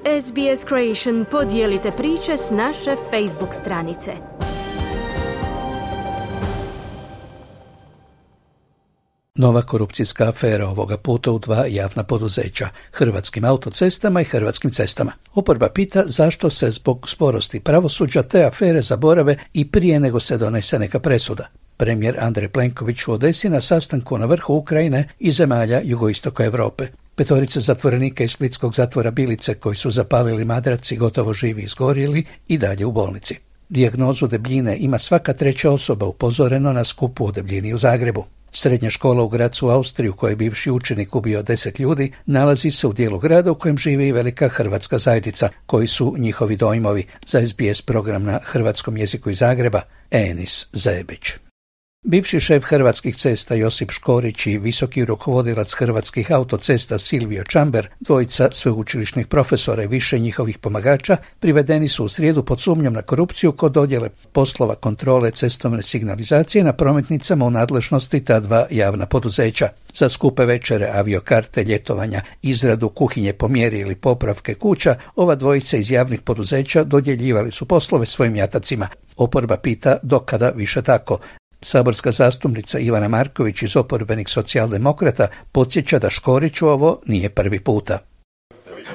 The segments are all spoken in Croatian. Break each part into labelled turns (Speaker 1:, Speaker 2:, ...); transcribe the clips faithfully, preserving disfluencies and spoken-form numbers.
Speaker 1: S B S Creation podijelite priče s naše Facebook stranice.
Speaker 2: Nova korupcijska afera ovoga puta u dva javna poduzeća, Hrvatskim autocestama i Hrvatskim cestama. Oporba pita zašto se zbog sporosti pravosuđa te afere zaborave i prije nego se donese neka presuda. Premijer Andrej Plenković u Odesi na sastanku na vrhu Ukrajine i zemalja jugoistoka Europe. Petorica zatvorenika iz splitskog zatvora Bilice koji su zapalili madrac i gotovo živi izgorjeli i dalje u bolnici. Dijagnozu debljine ima svaka treća osoba, upozoreno na skupu o debljini u Zagrebu. Srednja škola u Gracu u Austriji u kojoj je bivši učenik ubio deset ljudi nalazi se u dijelu grada u kojem živi i velika hrvatska zajednica, koji su njihovi dojmovi, za S B S program na hrvatskom jeziku iz Zagreba, Enis Zebić. Bivši šef Hrvatskih cesta Josip Škorić i visoki rukovodilac Hrvatskih autocesta Silvio Čamber, dvojica sveučilišnih profesora i više njihovih pomagača, privedeni su u srijedu pod sumnjom na korupciju kod dodjele poslova kontrole cestovne signalizacije na prometnicama u nadležnosti ta dva javna poduzeća. Za skupe večere, aviokarte, ljetovanja, izradu kuhinje po mjeri ili popravke kuća, ova dvojica iz javnih poduzeća dodjeljivali su poslove svojim jatacima. Oporba pita dokada više tako. Saborska zastupnica Ivana Marković iz oporbenih socijaldemokrata podsjeća da Škoriću ovo nije prvi puta.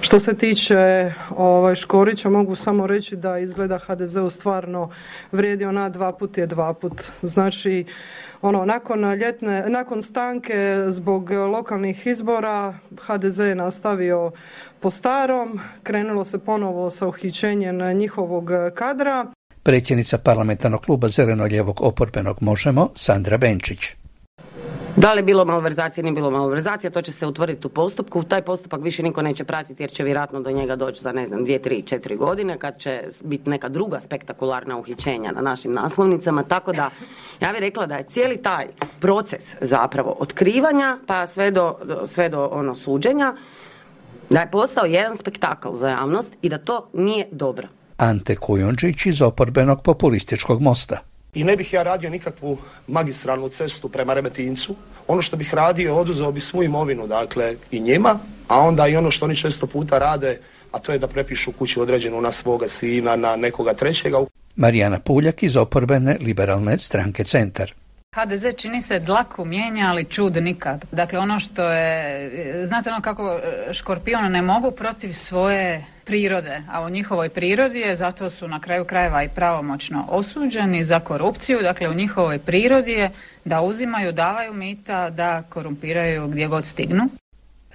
Speaker 3: Što se tiče ovaj, Škorića, mogu samo reći da izgleda H D Z-u stvarno vrijedi ona dva put je dva put. Znači, ono, nakon ljetne, nakon stanke zbog lokalnih izbora H D Z je nastavio po starom, krenulo se ponovo sa uhićenjem njihovog kadra.
Speaker 2: Predsjednica parlamentarnog kluba zeleno-lijevog oporbenog Možemo, Sandra Benčić.
Speaker 4: Da li je bilo malverzacije, nije bilo malverzacija, to će se utvrditi u postupku. Taj postupak više niko neće pratiti jer će vjerojatno do njega doći za ne znam dvije, tri, četiri godine kad će biti neka druga spektakularna uhićenja na našim naslovnicama. Tako da ja bih rekla da je cijeli taj proces zapravo otkrivanja pa sve do, sve do ono suđenja, da je postao jedan spektakl za javnost i da to nije dobro.
Speaker 2: Ante Kujundžić iz oporbenog populističkog Mosta.
Speaker 5: I ne bih ja radio nikakvu magistralnu cestu prema Remetincu. Ono što bih radio, oduzeo bi svu imovinu, dakle, i njima, a onda i ono što oni često puta rade, a to je da prepišu kuću određenu na svoga sina, na nekoga trećega.
Speaker 2: Marijana Puljak iz oporbene liberalne stranke Centar.
Speaker 6: H D Z čini se dlaku mijenja, ali čud nikad. Dakle, ono što je, znate ono kako škorpioni ne mogu protiv svoje prirode, a u njihovoj prirodi je, zato su na kraju krajeva i pravomoćno osuđeni za korupciju, dakle u njihovoj prirodi je da uzimaju, davaju mita, da korumpiraju gdje god stignu.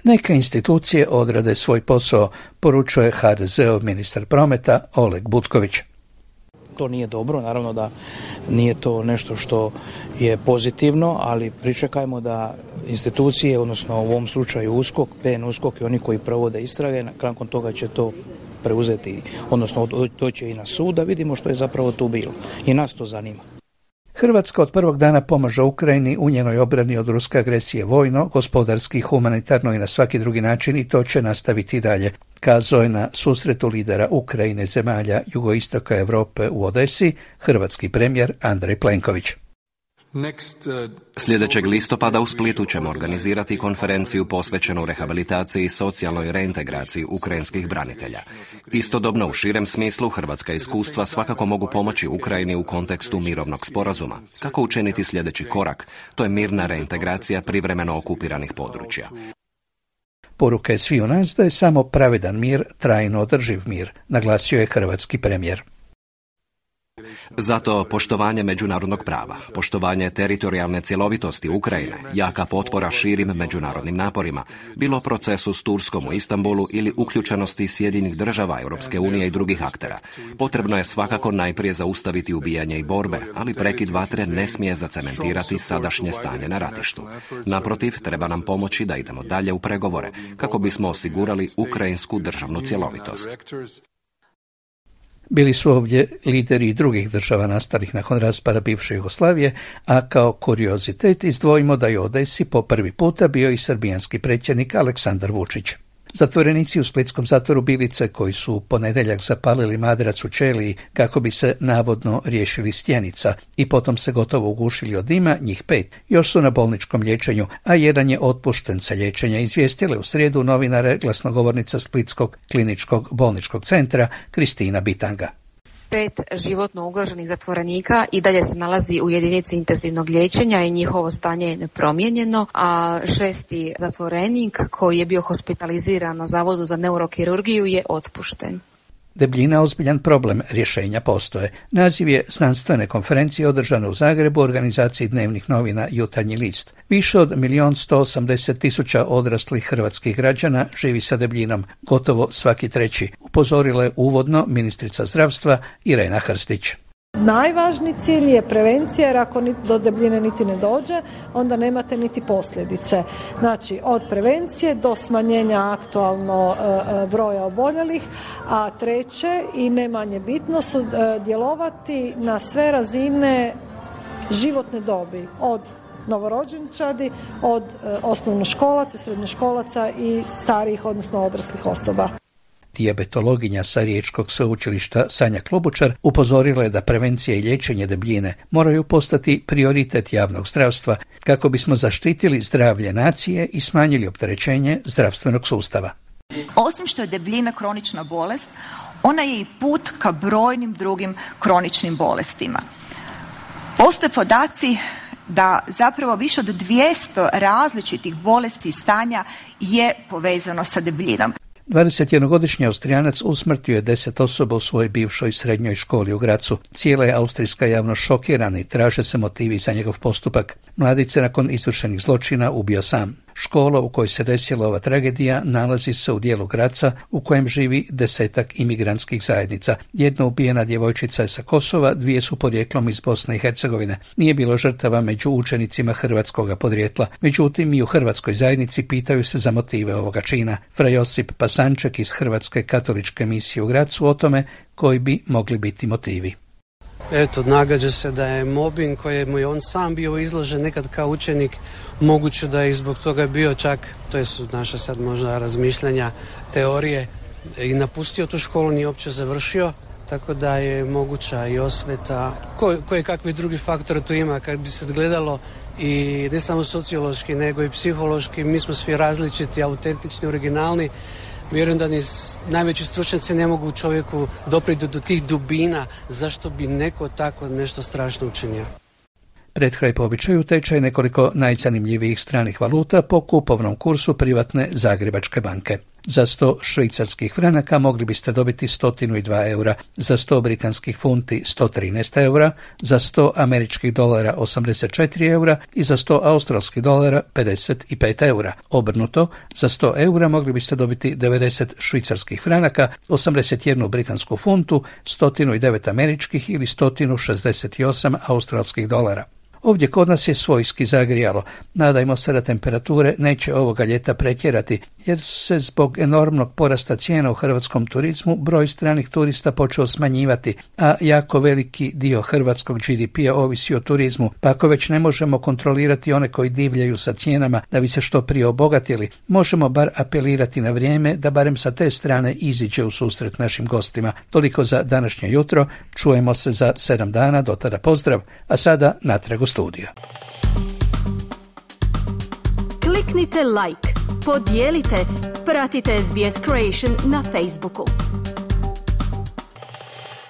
Speaker 2: Neka institucije odrade svoj posao, poručuje H D Z-ov ministar prometa Oleg Butković.
Speaker 7: To nije dobro, naravno da nije to nešto što je pozitivno, ali pričekajmo da institucije, odnosno u ovom slučaju USKOK, P N USKOK i oni koji provode istrage, nakon toga će to preuzeti, odnosno doći i na sud, da vidimo što je zapravo tu bilo. I nas to zanima.
Speaker 2: Hrvatska od prvog dana pomaže Ukrajini u njenoj obrani od ruske agresije vojno, gospodarski, humanitarno i na svaki drugi način i to će nastaviti dalje, kazao je na susretu lidera Ukrajine zemalja jugoistoka Europe u Odesi hrvatski premijer Andrej Plenković.
Speaker 8: Sljedećeg listopada u Splitu ćemo organizirati konferenciju posvećenu rehabilitaciji i socijalnoj reintegraciji ukrajinskih branitelja. Istodobno u širem smislu hrvatska iskustva svakako mogu pomoći Ukrajini u kontekstu mirovnog sporazuma. Kako učiniti sljedeći korak? To je mirna reintegracija privremeno okupiranih područja.
Speaker 2: Poruka je sviju nas da je samo pravedan mir trajno održiv mir, naglasio je hrvatski premijer.
Speaker 8: Zato poštovanje međunarodnog prava, poštovanje teritorijalne cjelovitosti Ukrajine, jaka potpora širim međunarodnim naporima, bilo procesu s Turskom u Istanbulu ili uključenosti Sjedinjenih država, Europske unije i drugih aktera. Potrebno je svakako najprije zaustaviti ubijanje i borbe, ali prekid vatre ne smije zacementirati sadašnje stanje na ratištu. Naprotiv, treba nam pomoći da idemo dalje u pregovore, kako bismo osigurali ukrajinsku državnu cjelovitost.
Speaker 2: Bili su ovdje lideri drugih država nastalih nakon raspada bivše Jugoslavije, a kao kuriozitet izdvojimo da je u Odesi po prvi puta bio i srbijanski predsjednik Aleksandar Vučić. Zatvorenici u splitskom zatvoru Bilice, koji su u ponedjeljak zapalili madrac u ćeliji kako bi se navodno riješili stjenica i potom se gotovo ugušili od dima, njih pet, još su na bolničkom liječenju, a jedan je otpušten sa liječenja, izvijestile u srijedu novinare glasnogovornica Splitskog kliničkog bolničkog centra Kristina Bitanga.
Speaker 9: Pet životno ugroženih zatvorenika i dalje se nalazi u jedinici intenzivnog liječenja i njihovo stanje je nepromijenjeno, a šesti zatvorenik koji je bio hospitaliziran na Zavodu za neurokirurgiju je otpušten.
Speaker 2: Debljina ozbiljan problem, rješenja postoje. Naziv je znanstvene konferencije održane u Zagrebu u organizaciji dnevnih novina Jutarnji list. Više od milion sto osamdeset tisuća odraslih hrvatskih građana živi sa debljinom, gotovo svaki treći, upozorila je uvodno ministrica zdravstva Irena Hrstić.
Speaker 10: Najvažniji cilj je prevencija, jer ako do debljine niti ne dođe, onda nemate niti posljedice. Znači, od prevencije do smanjenja aktualno e, broja oboljelih, a treće i ne manje bitno su e, djelovati na sve razine životne dobi, od novorođenčadi, od e, osnovnoškolaca, srednjoškolaca i starijih, odnosno odraslih osoba.
Speaker 2: Dijabetologinja sa Riječkog sveučilišta Sanja Klobučar upozorila je da prevencija i liječenje debljine moraju postati prioritet javnog zdravstva kako bismo zaštitili zdravlje nacije i smanjili opterećenje zdravstvenog sustava.
Speaker 11: Osim što je debljina kronična bolest, ona je i put ka brojnim drugim kroničnim bolestima. Postoje podaci da zapravo više od dvjesto različitih bolesti i stanja je povezano sa debljinom.
Speaker 2: dvadesetjednogodišnji Austrijanac usmrtio je deset osoba u svojoj bivšoj srednjoj školi u Grazu. Cijela je austrijska javnost šokirana i traže se motivi za njegov postupak. Mladić se nakon izvršenih zločina ubio sam. Škola u kojoj se desila ova tragedija nalazi se u dijelu Graza u kojem živi desetak imigrantskih zajednica. Jedna ubijena djevojčica je sa Kosova, dvije su podrijetlom iz Bosne i Hercegovine. Nije bilo žrtava među učenicima hrvatskoga podrijetla. Međutim, i u hrvatskoj zajednici pitaju se za motive ovoga čina. Fra Josip Pasanček iz Hrvatske katoličke misije u Grazu o tome koji bi mogli biti motivi.
Speaker 12: Eto, nagađa se da je mobbing kojemu je on sam bio izložen nekad kao učenik, moguće da je i zbog toga bio čak, to su naša sad možda razmišljanja, teorije, i napustio tu školu, nije uopće završio, tako da je moguća i osveta. Ko, koje kakvi drugi faktori to ima, kad bi se gledalo i ne samo sociološki, nego i psihološki, mi smo svi različiti, autentični, originalni. Vjerujem da ni najveći stručnjaci ne mogu čovjeku dopriti do tih dubina zašto bi neko tako nešto strašno učinio.
Speaker 2: Pred kraj po običaju tečaj nekoliko najzanimljivijih stranih valuta po kupovnom kursu privatne Zagrebačke banke. Za sto švicarskih franaka mogli biste dobiti sto dva eura, za sto britanskih funti sto trinaest eura, za sto američkih dolara osamdeset četiri eura i za sto australskih dolara pedeset pet eura. Obrnuto, za sto eura mogli biste dobiti devedeset švicarskih franaka, osamdeset jednu britansku funtu, sto devet američkih ili sto šezdeset osam australskih dolara. Ovdje kod nas je svojski zagrijalo. Nadajmo se da temperature neće ovoga ljeta pretjerati, jer se zbog enormnog porasta cijena u hrvatskom turizmu broj stranih turista počeo smanjivati, a jako veliki dio hrvatskog G D P-a ovisi o turizmu, pa ako već ne možemo kontrolirati one koji divljaju sa cijenama da bi se što prije obogatili, možemo bar apelirati na vrijeme da barem sa te strane iziđe u susret našim gostima. Toliko za današnje jutro, čujemo se za sedam dana, do tada pozdrav, a sada natrag u studio.
Speaker 1: Kliknite like, podijelite, pratite S B S Creation na Facebooku.